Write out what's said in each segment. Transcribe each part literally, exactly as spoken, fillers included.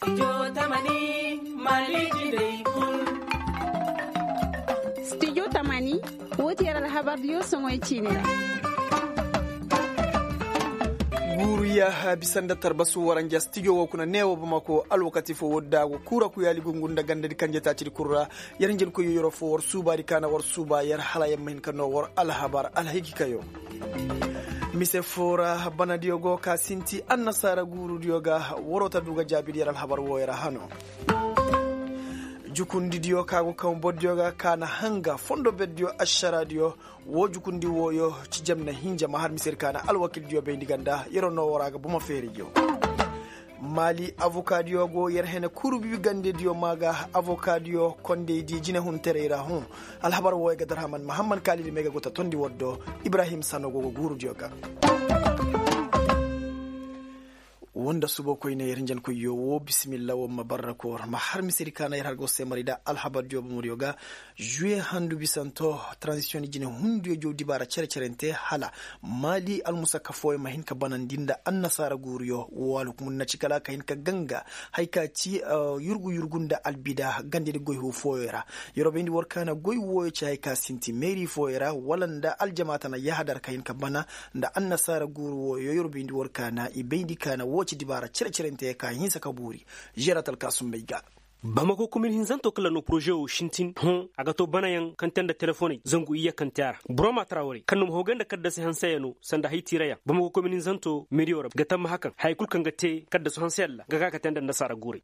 Studio tamani, wo ti yer alhabar diyo soŋoy ciini ra. Guuru ya bisa nda tarbasu waranja studio wo kuna neewo bamako alwakati fo wo daago kuura kuyaali gungu nda gandadi kanje taacidi kul ra. Yer hinjin koy yoro fo war suubaadi kaana war suuba yer hala yer ma hin ka noo war alhabar alhikikayo. Mise fo ra banadiyo go ka sinti annasaara guurudiyo ga. Waroo ta du ga jaabidi yer alhabar wooyo ra hano. Jukundidiyo ka go kaŋ bordiyo ga ka na hanga fondo berdiyo ašaraadiyo. Woo jukundi wooyo ci jam na hinja ma har misedi ka na alwakildiyo bayndi ganda yer noo war a ga bomo feerijo. Maali avokaadiyo go yer hene kurbi gandediyo maa ga avokaadiyo kondeydi jinehunterey ra hõ. Alhabar wooyo ga darhaman mahamman kaalidi may ga go ta tondi war do. Ibrahim sano go ga guurudiyo ga. Woo nda suba koyne yer hinjankoyyo woo bisimilla war ma barra koor ma har misedi ka na yer har go se mari nda alhabardiyo bomodiyo ga. Zuwe handu bisanto, taranzisiyoŋ jinehundiyo jaw dibaara cere-cerente hala maali almusakka fooyo ma hin ka banandi nda annasaara guuruyo woo alhukumudi na ci kala a ka hin ka ganga. Haya ka ci yurgu yurgu nda albida gandedi goy huu fooyo ra. Yer wo bayndi war ka na goy wooyo ci haya ka sinti meeri fooyo ra wala nda aljamaata na yahadar ka hin ka bana nda annasaara guuru wooyo yer wo bayndi war ka na i bayndi ka na woo ci dibaara cere-cerente ka hinsa ka buuri. Žerat alkaasumbey ga. Bamako komin hinzanto kaŋ la no poroze wo sintin hõ a ga to banayaŋ kaŋ te nda telefoney zangu iyye kaŋ te a ra. Boro ma tara warey kaŋ no ma hogay nda kaddasi hanseyaŋ no sanda hay tiirayaŋ bamako komin hinzanto meediyo ra ga tammaha kaŋ haya kul kaŋ ga te kaddasu hanseyaŋ ra ga ka ka te nda annasaara guurey.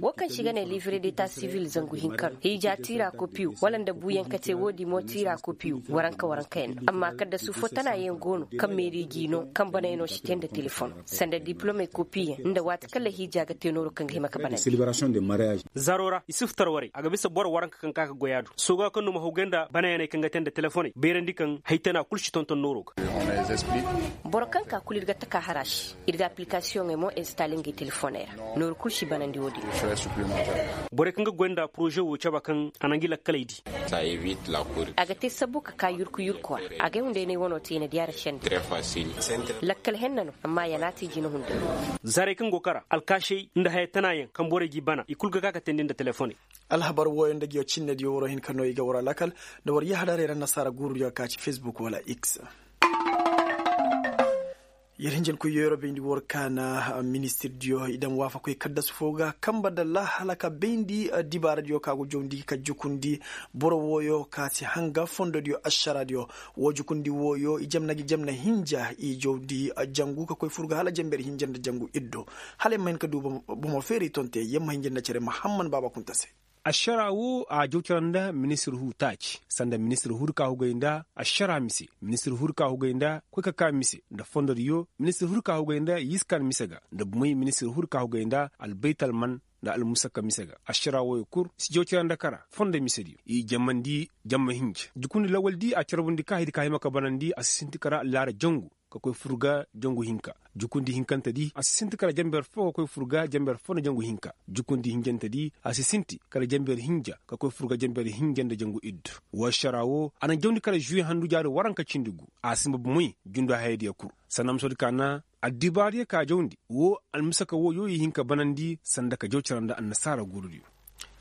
Wo kaŋ se i ga ne livre deta sivil zangu hinka no hiija tiira kopiyo wala nda buuyaŋ ka te woodi mo tiira kopiyo waranka warankayaŋ no amma kaddasu fo tanayaŋ go no kaŋ meeri g'i no kaŋ banayaŋo si te nda telefon sanda dipilomey kopiyaŋ nda waati kaŋ lahiija ga te nooro kaŋ ga hima ga banandi. Zaro ra isuf tarwarey a ga bisa boro waranka kaŋ ka ga goy a do sooga kaŋ no ma hawgay nda banayaney kaŋ ga te nda telefoney bayrandi kaŋ haytana kul si tonton nooro ga. Boro kaŋ ka kul ir ga taka hara se ir ga aplikasiyoŋey mo instale ngey telefoney ra. Nooru kul si banandi wo-din. Borey kaŋ ga goy nda poroze wo cabe kaŋ a na ngi lakkaley di. A ga te sabbu ka ka yurku yurku a ra. Agay hunday no ay wano te i na di a ra sende. Lakkal henna no amma ya na a te jina hunday. Zaarey kaŋ go kara alkaasey nda haya tanayaŋ kaŋ borey g'i bana i kul ga ka ka teendi nda telefoney. Alhabar wooyo nda ngiyo cinnediyo waroo hin ka no i ga war a lakkal nda war yahadaray ra annasaara guurudiyo ka ci fesbuk wala x. Yer hinjankoy yeero bayndi war ka na ministirdiyo i daŋ waafakoy kaddasu foo ga kamba nda laahala ka bayndi dibaaradiyo ka go jawndi ka jukundi boro wooyo ka si hanga fondodiyo ašaraadiyo. Woo jukundi wooyo i jamna gi jamna hinja i jawndi jangu ka koy fur ga hala jamber hinja nda jangu iddo. Hala yer ma hin ka du bomo feeray tonte yer ma hinja nda cere mahamman baaba kunta se. Ašaraa woo a jaw cara nda ministir huu taaci sanda ministir huu di ka hugay nda ašaraa mise ministir huu di ka hugay nda koy ka kaa mise nda fondodiyo ministir huu di ka hugay nda yiskan mise ga nda bumey ministir huu di ka hugay nda albaytalman nda almusakka mise ga. Ašaraa wooyo kul si jaw cara nda kara fondo misediyo i jamandi jamma hinja jukundi lawaldi a carbundi ka hay di ka hima ka banandi a si sinti kara laara jangu ka koy fur ga jangu hinka. Jukundi hinkantedi a si sinti kara jamber foo ka koy fur ga jamber foo nda jangu hinka. Jukundi hinjantedi a si sinti kara jamber hinja ka koy fur ga jamber hinja nda jangu iddu. Woo ašaraa woo a na jawndi kara žuwe handu jaari waranka cindi gu. A sinba bumey jundu hayadiyo kul sanda musodi ka na addibaariyo ka jawndi woo almusaka wooyo i hin ka banandi sanda ka jaw cara nda annasaara guurudiyo.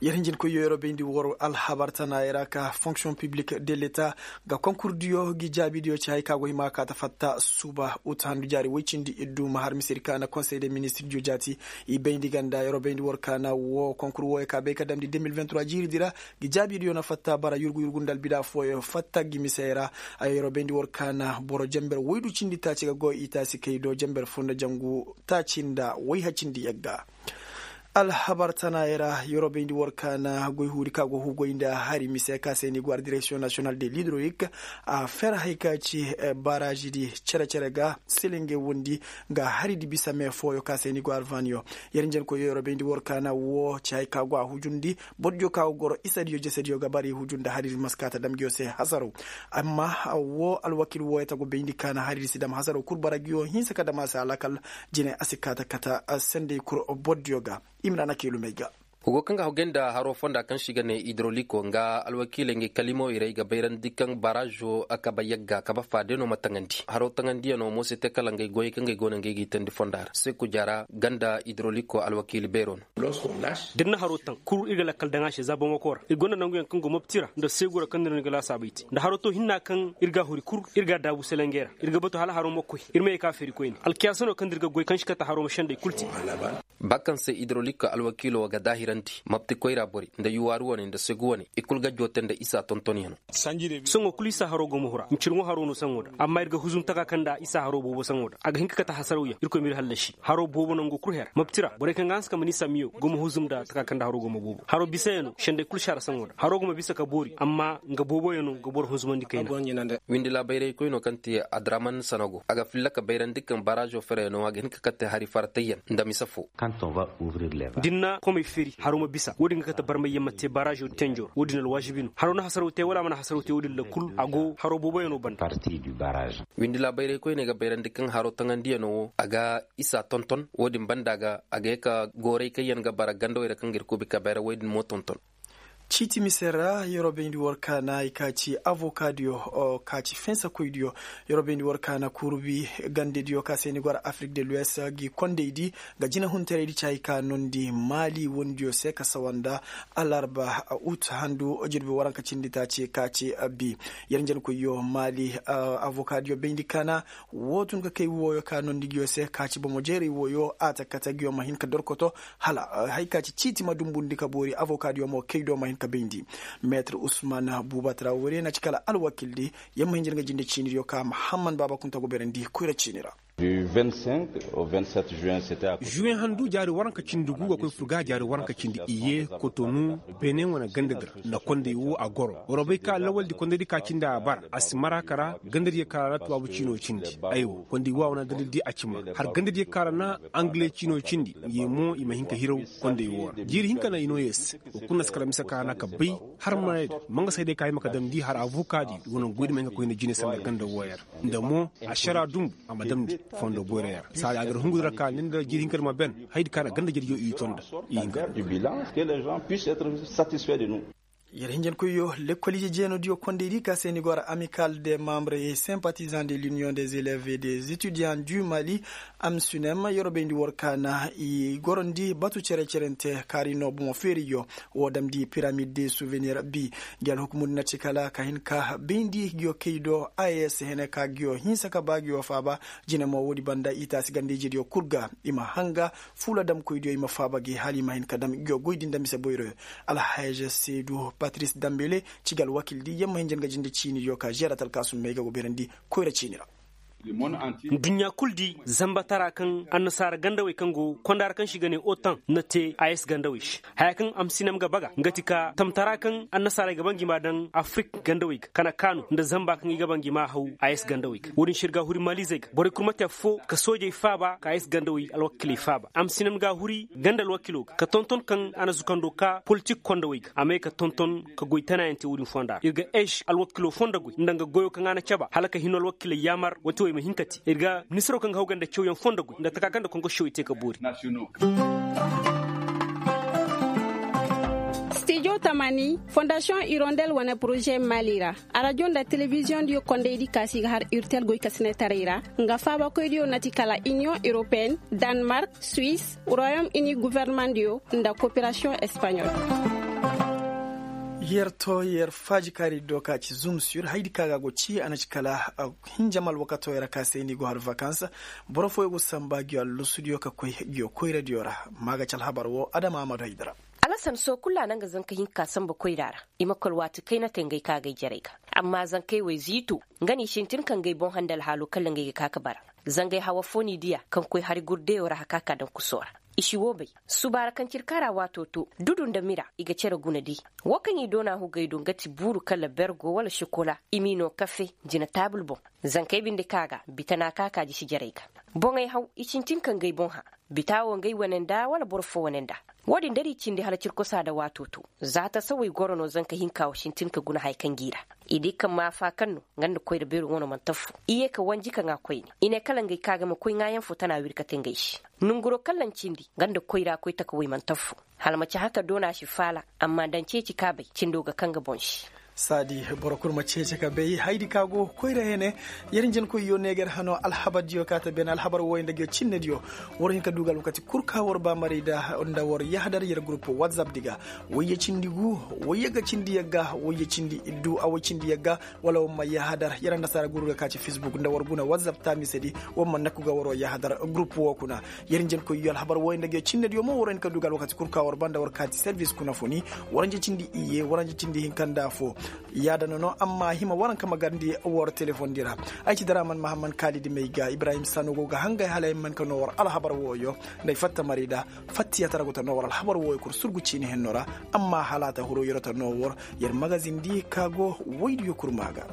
Yer hinjinkoyyo yer wo bayndi war alhabar tanaayey ra ka fonksiyoŋ piblik de leta ga konkurdiyo ngi jaabidiyo ci hay ka go hima ka ta fatta suba uta handu jaari woy cindi iddu ma har misedi ka na konsey de ministirdiyo jaati. I bayndi ganda yer wo bayndi war ka na woo konkur wooyo ka bay ka damndi deux mille vingt trois jiiridi ra. Ngi jaabidiyo na fatta bara yurgu yurgu nda albida fooyo fatta ngi misey ra. Yer wo bayndi war ka na boro jamber woydu cindi taaci ga go i taasi kay do jamber foo nda jangu taaci nda woy hacindi yagga. Alhabar tanaayey ra yer wo bayndi war ka na goy huudi ka go huugoy nda hari mise ka se ni go ar direksiyoŋ nasiyonal de lidroyik a fer hay ka ci baaraazidi cere-cere ga selenge wondi nga haridi bisa me fooyo ka se ni go ar vaaniyo. Yer njenkoyyo yer wo bayndi war ka na woo ci hay ka go a hujundi bordiyo ka go goro isadiyo jesediyo ga bari huju nda haridi ma si ka ta dam ngiyo se hasaro. Amma woo alwakil wooyo ta go bayndi ka na haridi si dam hasaro kul bara ngiyo hinsa ka dam a se alakal. Jine a si ka ta kata sendey kul bordiyo ga. Imrana kelumey ga. Wa go kaŋ ga hawgay nda haro fonda kaŋ se i ga ne idroliko nga alwakiiley nga ay kalimawey ra ay ga bayrandi kaŋ barazo a kaba yagga kaba faade no ma taŋandi haro taŋandiyanoo mo se te kala nga ay goyey kaŋ ga ay go no nga ay g'i tandi fonda ra seku jaara ganda idroliko alwakiili beero no. Da ir na haro taŋ kul ir ga lakkal daŋ a se za boŋ wako ra ir gonda nanguyaŋ kaŋ go mopti ra nda seegu ra kaŋ no ir ga laasaabey te nda haro to hinna kaŋ ir ga a huri kul ir ga a daabu selengey ra. Ir ga batu hala haro ma koy ir ma ye ka feeri koyne alkiyaasa no kaŋ nda ir ga goy kaŋ si kate haro ma sendey kul te. Ba kaŋ se idrolik alwakiilo ga daahirandi mapti koyra borey nda yuwaaru wane nda segu wane i kul ga joote nda isa tontonyanoo. Sohõ kul isa haro go ma hura ncirŋo haro no saŋo da amma ir ga huzum taka kaŋ nda isa haro boobo saŋo da a ga hin ka kate hasarawyaŋ irkoy ma ir hallasi haro boobo nango kul her mapti ra borey kaŋ ga hanse ka mana isa miyo go ma huzum nda taka kaŋ nda haro go ma boobo haro bisayanoo sendey kul si har saŋo da haro go ma bisa ka boori amma nga booboyanoo ga boro hunzumandi kayna. Windi laabayraykoynoo kaŋ te adraman sanago a ga filla ka bayrandi kaŋ barazo ferayanoo a ga hin ka kate hari faratayyaŋ nda mise foo. Da ni na komey feeri haro ma bisa wo-din ga kate barmayyaŋ ma te barazo tenjo ra wo-din alwaazibi no haro na hasaraw te wala a mana hasaraw te wo-din ra kul a go haro booboyanoo banda. Windi laabayraykoyney ga bayrandi kaŋ haro taŋandiyanoo wo a ga isa tonton wo-din banda ga a ga ye ka gooray kaŋ yaŋ ga bara gandawey ra kaŋ ga ir kuubi ka bayra woy din mo tonton. Ciiti mise ra yeroo bayndi war kaana i ka ci avoka diyo ka ci fensa koy diyo. Yeroo bayndi war kaana kurubi gande diyo ka se ni gora afirik de luwes gi kondey di ga jina huntaray di ci hay ka nondi maali wondiyo se ka sawa nda alarba ut handu jirbi waranka cindi taaci ka ci bi. Yer njankoyyo maali avoka diyo bayndi kaana wo tun ka kay wooyo ka nondi nguyo se ka ci bomo jeeray wooyo a ta kate nguyo ma hin ka dorkoto hala haya ka ci ciiti ma dumbundi ka boori avoka diyo mo kay do ma hin ka bayndi. Meetir usman buuba trawore na ci kala alwakildi. Yamma hinjir nga jinde ciini diyo ka mahamman baaba kunta go beerandi koyra ciini ra. Zuwen handu jaari waranka cindi gu ga koy furga jaari waranka cindi iye kotonu benin wane ganda dira nda kondey wo a goro waroo bay ka lawaldi kondey di ka cindi a bara a si mara kara ganda diyo kara ra tuwaabu ciino cindi. Aywa kondey wo a wane ganda di a cima har ganda diyo kara na angale ciino cindi ye mo i ma hin ka hiraw kondey wo ra jiiri hinka na i no ye se. Wa kulu na si kala mise ka na ka bay har marayda manga sayday ka hima ka damndi har avoka di wane goydi ma hin ka koy nda jine sanda ganda wo ya ra nda mo ašara dumbu a ma damndi fondo boyra ya ra saadi a ga ir hungu di ra ka ni nda jiiri hinka di ma ben haydi ka na ganda jadjo i ton da i hinka. Yer hinjankoyyo lekkol ije jeenodiyo kondey di ka se ni go ra amical des membres et sympathisants de l'union des élèves et des étudiants du mali, amsunem yeroo bayndi war ka na i gorondi batu cere-cerente kaari no bomo feeriyo. Woo damndi piramid de souvenir bi gi alhukumundi na ci kala ka hin ka bayndi giyo kay do a s hene ka giyo hinsa ka ba giyo faaba. Jine mo woodi banda i taasi ganda ijediyo kul ga i ma hanga fuula damkoydiyo i ma faaba gi hala i ma hin ka dam giyo goydi nda mise boyroyo. Alhaja seedu patris dambele ci ga alwakildi yamma hinja nga jinde ciinidiyo ka žerat alkaasum may ga go beerandi koyra ciini ra. Nduɲɲa kul di zambatara kaŋ annasaara gandawey kaŋ go konda ra kaŋ se i ga ne otan na te a s gandawey se haya kaŋ amsinem ga baga nga ti ka tamtara kaŋ annasaarey ga ba ngi ma daŋ afirik gandawey ga kana kaanu nda zamba kaŋ i ga ba ngi ma haw a s gandawey ga wo-din se ir ga a huri malizey ga borey kul ma te affoo ka soojey faaba ka a s gandawey alwakiley faaba amsinem ga a huri ganda alwakilo ga ka tonton kaŋ a na zukando ka politik kondawey ga a may ka tonton ka goy tanayaŋ te wo-din fonda ra ir ga es alwakilo fonda goy nda nga goyo kaŋ a na caba hala ka hino alwakiley yaamar wati wo i ma hin ka te ir ga ministiro kaŋ ga haw ganda cawyaŋ fonda goy nda taka kaŋ nda konkosiyo i te ka boori. Stijo tamani fondasiyoŋ irondel wane poroze mali ra arajo nda telebiziyoŋ diyo kondey di kaasi ga har irtel goy ka sinetaray ra nga faabakoy diyo na ti kala iniyoŋ europeen, danmark, suwis, royom ini governeman diyo nda koperasiyoŋ espaɲol. Yer to yer faaji kaari do ka ci zum sur haydi ka ga go ci a na ci kala hinja ma alwakatoo yer ka se ni go har vakans. Boro fooyo go samba giyo allusudiyo ka koy giyo koyradiyo ra. Ma ga ci alhabar wo adama amadu haydara. Alasan soo kul a na nga zanka hinka samba koyra ra. I ma koy alwaati kayna te ngey ka ga ay jarey ga. Amma zankey wo ay ziito nga no i sintin ka ngey boŋ hande alhaalo kala ngey ga ka ga bara. Zangey hawa foo n'i diya kaŋ koy hari gurdeyo ra haka ka daŋ kusoo ra. I si woo bay. Suba ra kaŋ ci ir kaara waatoo to dudu nda mira i ga cere guna di. Woo kaŋ i doona hugey do nga ti buuru kala bergo wala sokola i m'i noo kafe jina taabul boŋ. Zankey binde ka ga bitana ka ka jisi jarey ga. Boŋey haw i sintin ka ngey boŋ hã. Bita wo ngey wane nda wala boro foo wane nda. Woo din da ir i cindi hala cirkosaa nda waatoo to. Za tasawey goro no zanka hinka wo sintin ka guna haya kaŋ g'i ra. I di kaŋ maafa kaŋ no nga nda koyra beero wano mana tafu i ye ka wanji ka ŋaa koyne. I ne kala ngey ka ga ma koy ŋaayaŋ fo tana wiri ka te ngey se. Nonguroo kaŋ laŋ cindi nga nda koyra koy taka wey mana tafu. Hala ma ci haka doona si faala. Amma daŋ ceeci kaabay cindo ga kaŋ ga boŋ se. Saadi boro kul ma ceeci ka bay haydi ka go koyra hene. Yer hinjankoyyo ne ga yer hano alhabardiyo ka ta beene alhabar wooyo nda nguyo cinnediyo. War hin ka du ga alwakati kul ka war ba maray nda war yahadar yer gurup watsap di ga. Wayye cindi gu, wayye ga cindi yagga wayye cindi iddu a way cindi yagga. Wala war ma yahadar yer annasaara guru ga ka ci fisbuk nda war guna watsap taamisedi. War ma nakku ga waroo yahadar gurup woo kuna. Yer njenkoyyo alhabar wooyo nda nguyo cinnediyo mo war hin ka du ga alwakati kul ka war ba nda war kaati servis kuna funi. Waranja cindi iyye waranja cindi hinka nda afoo. Yaada no no amma a hima waranka ma garndi war telefondi ra. Ay ci daraman mahamman kaalidi may ga ibrahim sano go ga hangay hala ay man ka no war alhabar wooyo. Nda ay fatta mari nda fattiyatara go ta no war alhabar wooyo kul surgu ciini henno ra. Amma hala a ta huru yero ta no war yer magazindi ka go woydiyo kul ma ga.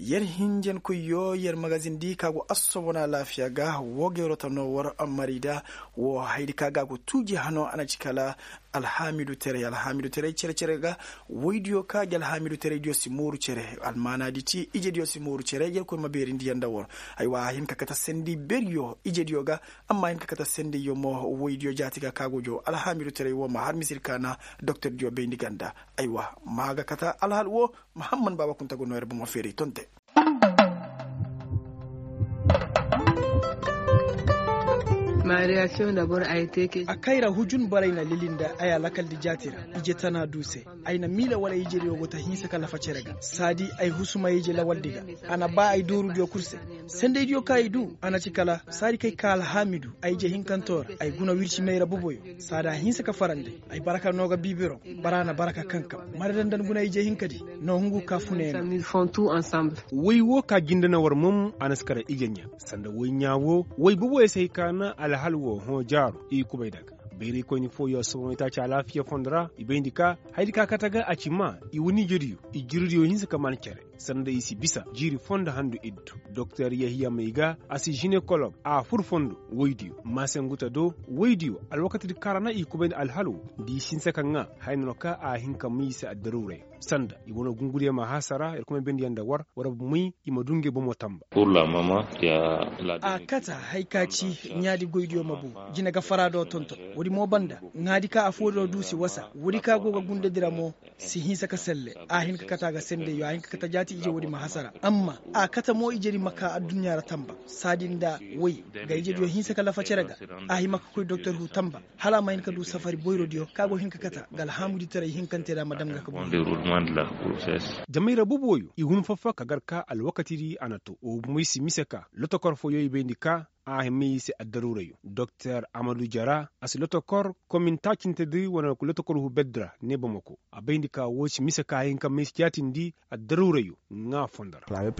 Yer hinjankoyyo yer magazindi ka go assobona alaafiya ga woo ga yeroo ta no war mari nda. Woo hayadi ka ga a go tuuji hano a na ci kala alhaamidu teray alhaamidu teray cere-cere ga. Woydiyo ka gi alhaamidu teraydiyo si mooru cere almaanaadi ci ijediyo si mooru cere yerkoy ma beerindi yaŋ nda war. Aywa a hin ka kate sendi beriyo ijediyo ga. Amma a hin ka kate sendiyo mo woydiyo jaati ga ka go joo alhaamidu teray woo ma har misir ka na doktordiyo bayndi ganda. Aywa ma ga kate alhal woo. Mahamman baaba kunta go noo yer bomo feeray tonte. A kayra hujun baray na lili nda ay a lakaldi jaati ra. Ije tana du se ay na miila wala ijediyo go ta hinsa ka lafa cere ga saadi ay husuma ije lawaldi ga. A na baa ay doorudiyo kul se. Sendaydiyo kaŋ ay du a na ci kala saadi kay ka alhaamidu ay ije hinkanto ra ay guna wirci mayra boboyo. Saadi a hinsa ka farandi. Ay baraka no ga biibiro. Bara na baraka kankam mara dandan guna ije hinkadi. No hungu ka funeena. Woy wo ka jinde na war mom a na si kara ije ɲa sanda woy ɲa wo woy boboyo si hay ka na alhal wo hõ jaaro i kubay daga. Bayraykoyni fooyo sohõ i taaci alaafiya fondo ra i bayndi ka hayadi ka kate ga a ci maa i wani ijediyo i jirdiyo hinsa ka maan cere. Sanda i si bisa jiiri fondo handu iddu. Doktor yahiya may ga a si jinekolog a fur fondo woydiyo maasenguta do woydiyo alwakatidi kaŋ ra na i kubayndi alhal wo. Nda i si hinsa ka ŋaa haya no ka a hin ka may i se addaruuray. Sanda i wane gungudiyo ma hasara yer kuma bayndi yaŋ nda war war ma may i ma du ngey bomo tamba. A kata hay ka ci ɲaadi goydiyo ma bu. Jine ga fara do tonton woodi mo banda ŋaadi ka affoo do du si wasa woodi ka go ga gundedi ra mo. Si hinsa ka selle a hin ka kata ga sendey yo a hin ka kata jaati ije woodi ma hasara amma a kata mo ijedi ma ka adduɲɲa ra tamba. Saadi nda woy ga ijediyo hinsa ka lafa cere ga. A hima ka koy doktor hu tamba hala a ma hin ka du safari boyrodiyo ka go hin ka kata ga alhaamuditaray hinkante ra ma dam ga ka bu. Jamayra boboyo i hun fafa ka gar ka alwakatidi a na to wo bomoy si mise ka lotokor fooyo i bayndi ka a hima i se addaruurayo. Doktor amadu jara a si lotokor komin taacintedi wane lotokor hubeddi ra ne bamako a bayndi ka woo si mise ka a hin ka may si jaatindi. Addaruurayo ŋaa fondo ra.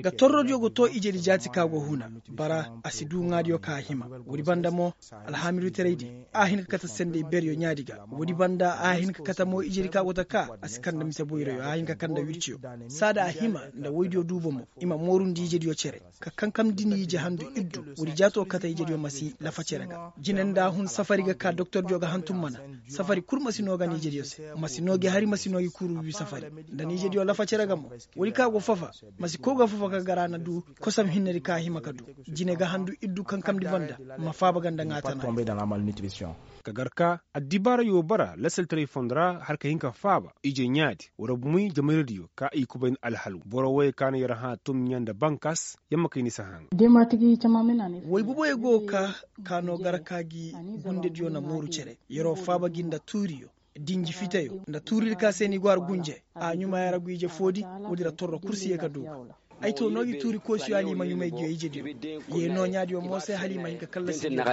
Ga torrodiyo go too ijedi jaati ka go huna bara a si du ŋaadiyo ka a hima. Woodi banda mo alhaamidutaraydi a hin ka kate sendey beryo ɲaadi ga woodi banda a hin ka kate mo ijedi ka go ta ka a si kande mise boyroyo a hin ka kande wirciyo. Saada a hima nda woydiyo duubo mo i ma moorundi ijediyo cere ka kankamndi ni ije handu iddu. Woodi jaato kate ijediyo ma si lafa cere ga jine nda a hun safari ga ka doktordiyo ga hantum mana. Safari kul ma si noo ga ni ijediyo se ma si noo gi hari ma si noo gi kuuru wiwi safari. Nda ni ijediyo lafa cere ga mo woodi ka go fafa ma si kow ga fafa ka gar a na du kosam hinnedi ka a hima ka du. Jine ga handu iddu kankamndi banda ma faaba ga nda ŋaatana. Ka gar ka addibaarayo bara lasaltaray fondo ra har ka hin ka faaba ije ɲaadi war bumoy jamayradiyo ka i kubay nda alhalu boro woyey ka na yer hã tum ɲa nda bankas. Yer ma kay ni si hã nga. Woy boboyo go ka ka no gar ka gi gundediyo na mooru cere yeroo faaba gi nda tuuriyo dinji fiteyo nda tuuridi ka se ni go har gunje. A ɲumaaya ra gu ije foodi woodi ra torro kul si ye ka du ga. Ay to no gi tuuri koosiyo hala i ma ɲumay gi yo ijediyo. Ye no ɲaadiyo mo se hala i ma hin ka kallasi gi yo.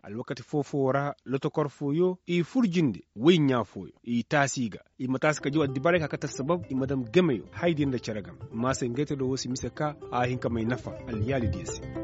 Alwakati foo-foo ra lotokor fooyo i fur jinde woy ɲaa fooyo i taasi ga. I ma taasi ka jaw addibaray ka kate assabab i ma dam gemeyo haydiyo nda cere game. Maase ngey te do wo si mise ka a hin ka may nafa alyaalidiyo se.